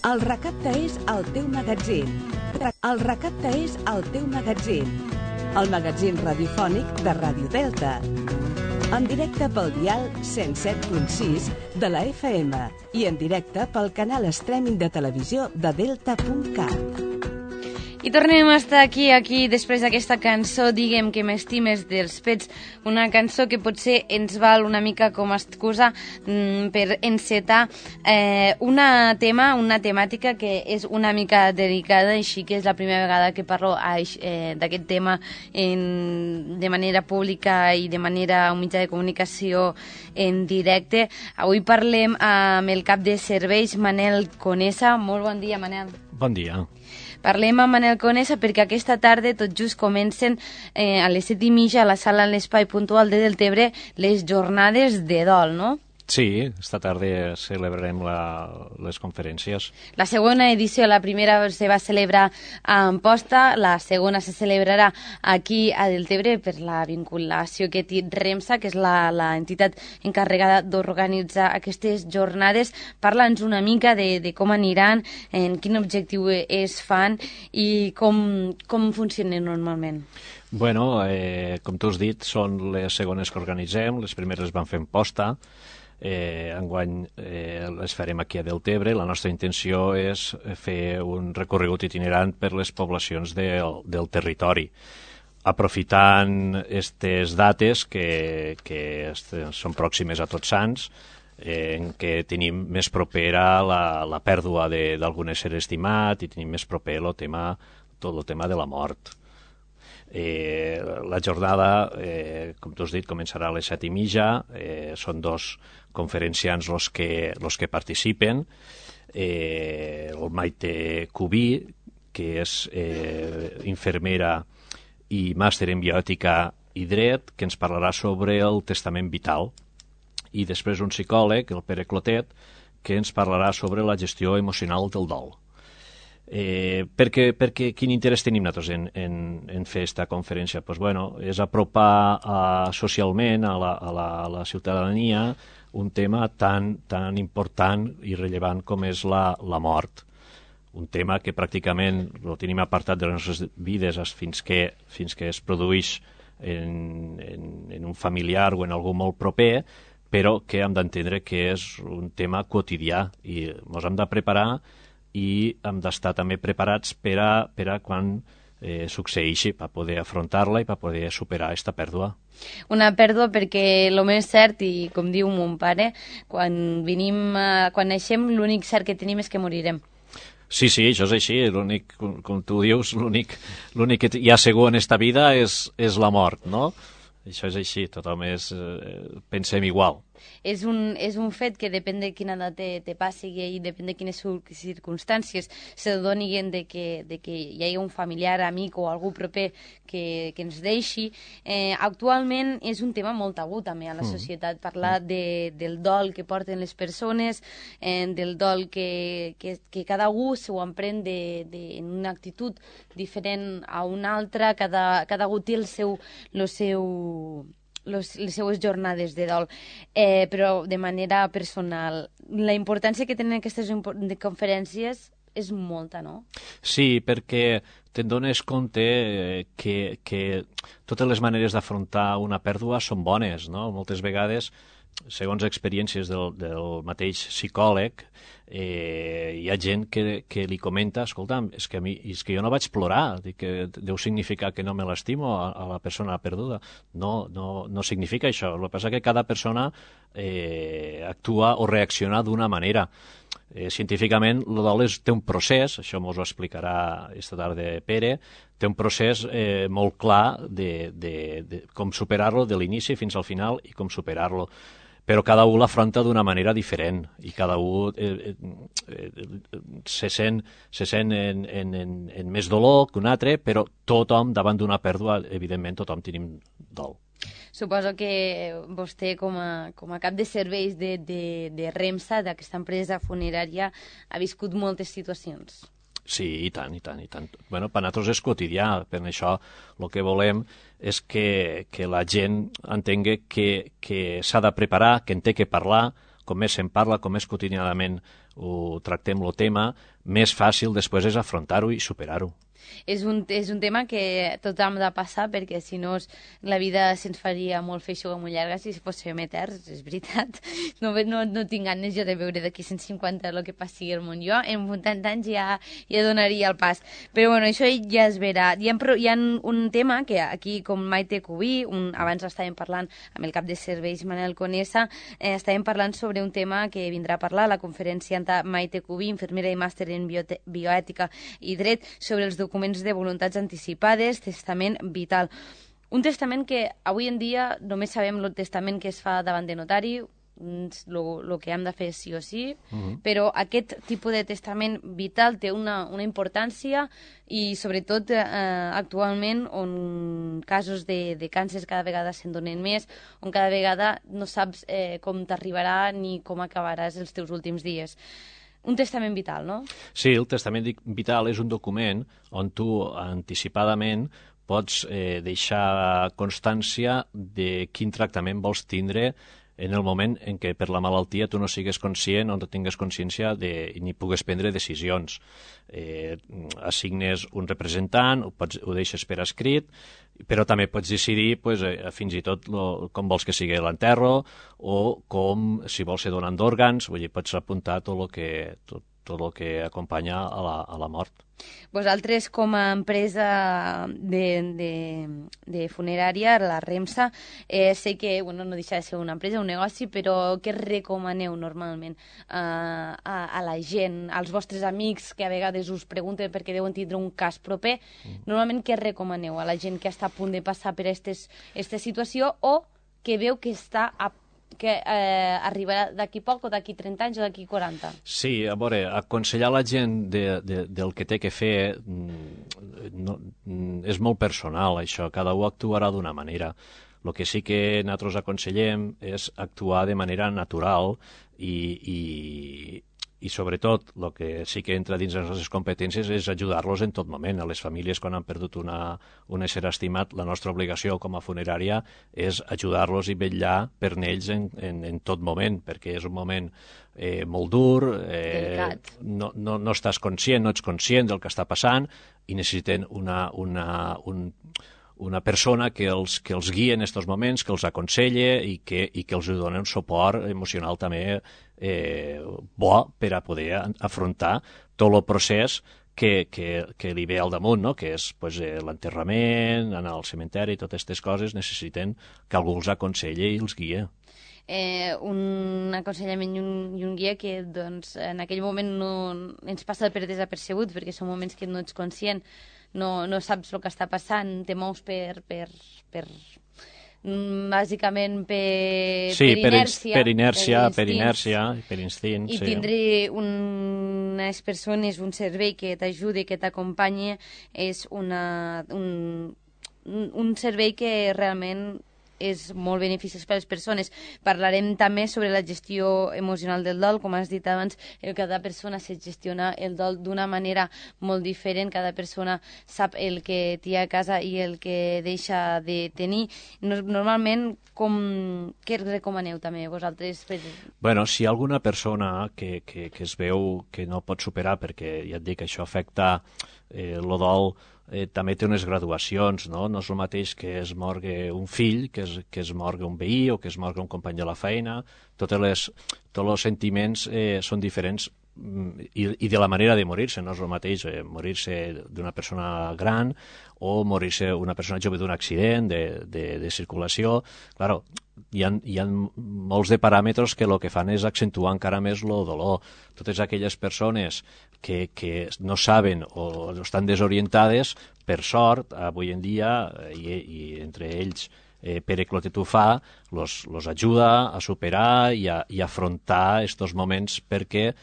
El Recapte és el teu magatzin. El Recapte és el teu magatzin. El magatzin radiofònic de Ràdio Delta. En directe pel dial 107.6 de la FM i en directe pel canal streaming de televisió de delta.cat. I tornem a estar aquí després d'aquesta cançó, diguem que m'estimes dels Pets, una cançó que potser ens val una mica com a excusa per encetar una temàtica que és una mica delicada, així que és la primera vegada que parlo d'aquest tema de manera pública i de manera a un mitjà de comunicació en directe. Avui parlem amb el cap de serveis, Manel Conesa. Molt bon dia, Manel. Bon dia. Parlem amb Manel Conesa perquè aquesta tarda tot just comencen a les 7:30 a la sala en l'Espai Puntual de Deltebre les jornades de dol, no? Sí, esta tarda celebrarem les conferències. La segona edició, la primera se va celebrar a Amposta, la segona se celebrarà aquí a Deltebre per la vinculació que té REMSA, que és l'entitat encarregada d'organitzar aquestes jornades. Parla'ns una mica de com aniran, en quin objectiu es fan i com funcionen normalment. Bueno, com tu has dit, són les segones que organitzem, les primeres van fer Amposta. Enguany les farem aquí a Deltebre. La nostra intenció és fer un recorregut itinerant per les poblacions del territori, aprofitant aquestes dates que són pròximes a Tots Sants, en què tenim més propera la pèrdua d'algun ésser estimat i tenim més proper tot el tema de la mort. La jornada, com tu has dit, començarà a les 7:30. Són dos conferenciants els que participen. El Maite Cubí, que és infermera i màster en biòtica i dret, que ens parlarà sobre el testament vital. I després un psicòleg, el Pere Clotet, que ens parlarà sobre la gestió emocional del dol. Perquè quin interès tenim nosaltres en fer aquesta conferència? Pues bueno, és apropar socialment a la ciutadania un tema tan important i rellevant com és la mort. Un tema que pràcticament el tenim apartat de les nostres vides fins que es produeix en un familiar o en algú molt proper, però que hem d'entendre que és un tema quotidià i ens hem de preparar i hem d'estar també preparats per a quan succeeixi, per poder afrontar-la i per poder superar aquesta pèrdua. Una pèrdua perquè el més cert, i com diu mon pare, quan naixem l'únic cert que tenim és que morirem. Sí, això és així. L'únic, com tu dius, l'únic que hi ha segur en esta vida és la mort, no? Això és així, tothom pensem igual. És un fet que depèn de quina edat te passi i depèn de quines circumstàncies se donin de que hi hagi un familiar, amic o algú proper que ens deixi. Actualment és un tema molt tabú també a la societat, parlar del dol que porten les persones, del dol que cada algú s'ho emprèn en una actitud diferent a una altra, cada algú té les seues jornades de dol, però de manera personal. La importància que tenen aquestes conferències és molta, no? Sí, perquè te'n dones compte que totes les maneres d'afrontar una pèrdua són bones, no? Moltes vegades, segons experiències del mateix psicòleg, hi ha gent que li comenta, escolta'm, és que jo no vaig plorar, que deu significar que no me l'estimo a la persona perduda. No significa això. El que passa és que cada persona actua o reacciona d'una manera. Científicament, el dol té un procés, això ens ho explicarà esta tarda Pere, té un procés molt clar de com superar-lo de l'inici fins al final i com superar-lo. Però cada un l'afronta d'una manera diferent i cada un se sent en més dolor que un altre, però tothom, davant d'una pèrdua, evidentment tothom tenim dol. Suposo que vostè, com a cap de serveis de REMSA, d'aquesta empresa funerària, ha viscut moltes situacions. Sí, i tant. Bueno, per nosaltres és quotidià, per això el que volem és que la gent entengui que s'ha de preparar, que en té que parlar, com més se'n parla, com més quotidianament ho tractem el tema, més fàcil després és afrontar-ho i superar-ho. És un tema que tothom ha de passar, perquè si no la vida se'ns faria molt feixuga, molt llarga si fóssim eterns, és veritat. No tinc ganes jo de veure d'aquí 150 el que passi al món. Jo en 80 anys ja donaria el pas. Però bueno, això ja es verà. Hi ha un tema que aquí, com Maite Cubí, abans estàvem parlant amb el cap de serveis Manel Conesa, estàvem parlant sobre un tema que vindrà a parlar a la conferència Maite Cubí, infermera i màster en bioètica i dret, sobre els documents de voluntats anticipades, testament vital. Un testament que avui en dia només sabem el testament que es fa davant de notari, el que hem de fer sí o sí, però aquest tipus de testament vital té una importància i sobretot actualment on casos de càncer cada vegada se'n donen més, on cada vegada no saps com t'arribarà ni com acabaràs els teus últims dies. Un testament vital, no? Sí, el testament vital és un document on tu anticipadament pots deixar constància de quin tractament vols tindre en el moment en què per la malaltia tu no sigues conscient o no tingues consciència ni pugues prendre decisions. Assignes un representant, ho deixes per escrit, però també pots decidir fins i tot com vols que sigui l'enterro o com, si vols ser donant d'òrgans, vull dir, pots apuntar tot el que acompanya a la mort. Vosaltres, com a empresa de funerària, la REMSA, sé que no deixa de ser una empresa, un negoci, però què recomaneu normalment a la gent, als vostres amics que a vegades us pregunten perquè deuen tindre un cas proper? Normalment què recomaneu a la gent que està a punt de passar per aquesta situació o que veu que està que arribarà d'aquí poc o d'aquí 30 anys o d'aquí 40? Sí, a veure, aconsellar la gent del que té que fer és molt personal, això. Cada un actuarà d'una manera. El que sí que nosaltres aconsellem és actuar de manera natural i sobretot, el que sí que entra dins les nostres competències és ajudar-los en tot moment. A les famílies, quan han perdut un ésser estimat, la nostra obligació com a funerària és ajudar-los i vetllar per ells en tot moment, perquè és un moment molt dur, no estàs conscient, no ets conscient del que està passant i necessiten una persona que els guia en aquests moments, que els aconsella i que els doni un suport emocional també bo per a poder afrontar tot el procés que li ve al damunt, no? Que és l'enterrament, anar al cementeri, totes aquestes coses necessiten que algú els aconselli i els guia. Un aconsellament i un guia que en aquell moment no ens passa per desapercebut, perquè són moments que no ets conscient, no saps el que està passant, te mous bàsicament per inèrcia, per instint. I tindre unes persones, un servei que t'ajudi, que t'acompanyi, és un servei que realment és molt beneficiós per a les persones. Parlarem també sobre la gestió emocional del dol. Com has dit abans, cada persona se gestiona el dol d'una manera molt diferent. Cada persona sap el que té a casa i el que deixa de tenir. Normalment, què recomaneu també vosaltres? Bueno, si hi ha alguna persona que es veu que no pot superar, perquè ja et dic que això afecta el dol, també té unes graduacions, no? No és el mateix que es morgue un fill, que es morgue un veí o que es morgue un company de la feina. Tots els sentiments són diferents i de la manera de morir-se. No és el mateix morir-se d'una persona gran o morir-se una persona jove d'un accident de circulació. Claro, hi ha molts de paràmetres que el que fan és accentuar encara més el dolor. Totes aquelles persones que no saben o estan desorientades, per sort, avui en dia, i entre ells Pere Clotetufà, los ajuda a superar i a afrontar aquests moments perquè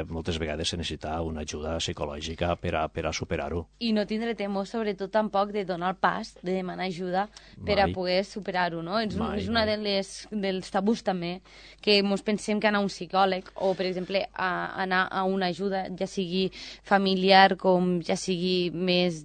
moltes vegades se necessita una ajuda psicològica per a superar-ho. I no tindre temor, sobretot, tampoc de donar el pas, de demanar ajuda per a poder superar-ho, no? És una dels tabús també, que ens pensem que anar a un psicòleg o, per exemple, anar a una ajuda, ja sigui familiar com ja sigui més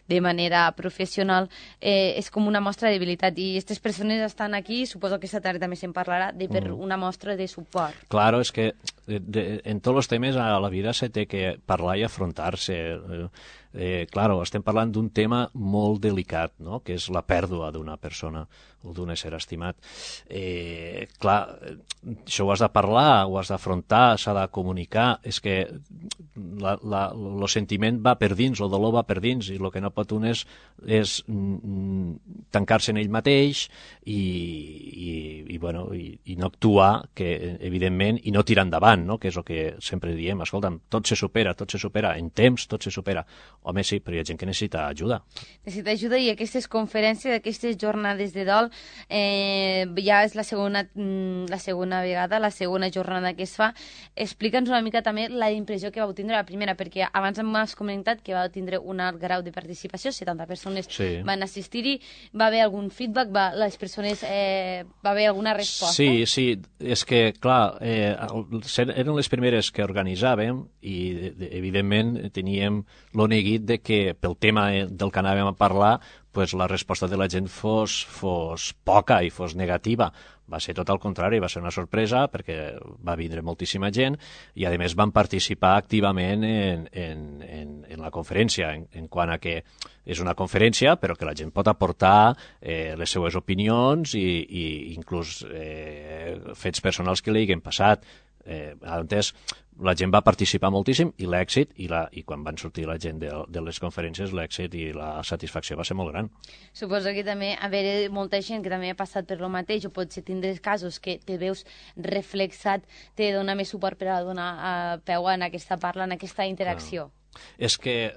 de manera professional, és com una mostra de debilitat. I aquestes persones estan aquí, suposo que aquesta tarda també se'n parlarà, per una mostra de suport. Claro, es que en tots els temes a la vida se té que parlar i afrontar-se. Claro, estem parlant d'un tema molt delicat, no?, que és la pèrdua d'una persona o d'un ésser estimat. Clar, això ho has de parlar, ho has d'afrontar, s'ha de comunicar. És que el sentiment va per dins, el dolor va per dins, i el que no pot un és tancar-se en ell mateix i no actuar, que evidentment, i no tirar endavant, no?, que és el que sempre diem. Escolta'm, tot se supera, en temps tot se supera. Home, sí, però hi ha gent que necessita ajuda. Necessita ajuda, i aquestes conferències, aquestes jornades de dol, ja és la segona vegada, la segona jornada que es fa. Explica'ns una mica també la impressió que vau tindre la primera, perquè abans m'has comentat que vau tindre un alt grau de participació, 70 persones van assistir-hi. Va haver algun feedback? Va haver alguna resposta? Sí, és que, clar, eren les primeres que organitzàvem i, evidentment, teníem lo neguit de que, pel tema del que anàvem a parlar, pues, la resposta de la gent fos poca i fos negativa. Va ser tot el contrari, va ser una sorpresa, perquè va vindre moltíssima gent i, a més, van participar activament en la conferència, en quant a que és una conferència, però que la gent pot aportar les seues opinions i inclús fets personals que li hagin passat. Entès, la gent va participar moltíssim i l'èxit, i quan van sortir la gent de les conferències, l'èxit i la satisfacció va ser molt gran. Suposo que també haver molta gent que també ha passat per lo mateix, o potser tindràs casos que te veus reflexat, te dona més suport per a donar peu en aquesta parla, en aquesta interacció. És que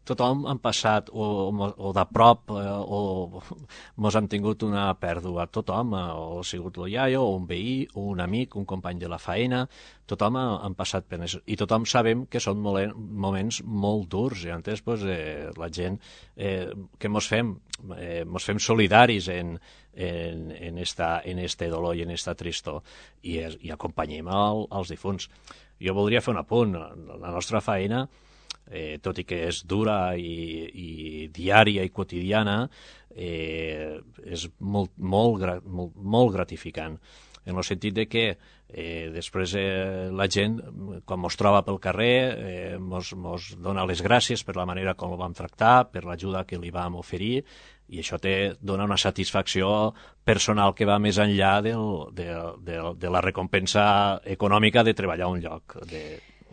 tothom han passat o de prop o mos han tingut una pèrdua. Tothom, o ha sigut el iaio, o un veí, o un amic, un company de la feina, tothom han passat per això. I tothom sabem que són moments molt durs, i antes la gent que mos fem solidaris en este dolor i en esta tristor, i acompanyem els difunts. Jo voldria fer un apunt. La nostra feina, tot i que és dura i diària i quotidiana, és molt gratificant, en el sentit de que després la gent, quan mos troba pel carrer, mos dona les gràcies per la manera com el vam tractar, per l'ajuda que li vam oferir, i això dona una satisfacció personal que va més enllà de la recompensa econòmica de treballar a un lloc de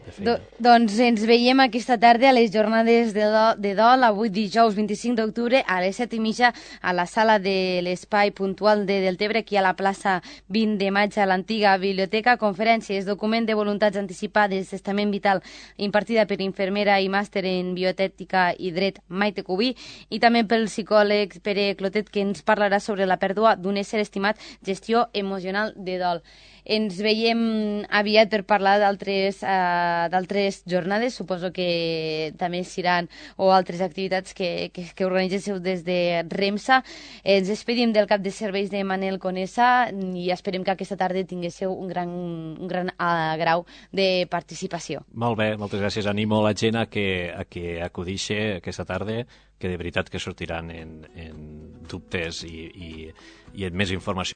feina. Doncs ens veiem aquesta tarda a les jornades de dol, avui dijous 25 d'octubre a les 7:30 a la sala de l'Espai Puntual de Deltebre, aquí a la plaça 20 de maig, a l'antiga biblioteca. Conferències, document de voluntats anticipades, testament vital, impartida per infermera i màster en biotètica i dret Maite Cubí, i també pel psicòleg Pere Clotet, que ens parlarà sobre la pèrdua d'un ésser estimat, gestió emocional de dol. Ens veiem aviat per parlar d'altres jornades, suposo que també seran, o altres activitats que organitzeu des de REMSA. Ens despedim del cap de serveis de Manel Conesa i esperem que aquesta tarda tinguéssiu un gran grau de participació. Molt bé, moltes gràcies. Animo la gent a que acudixi aquesta tarda, que de veritat que sortiran en dubtes i en més informació.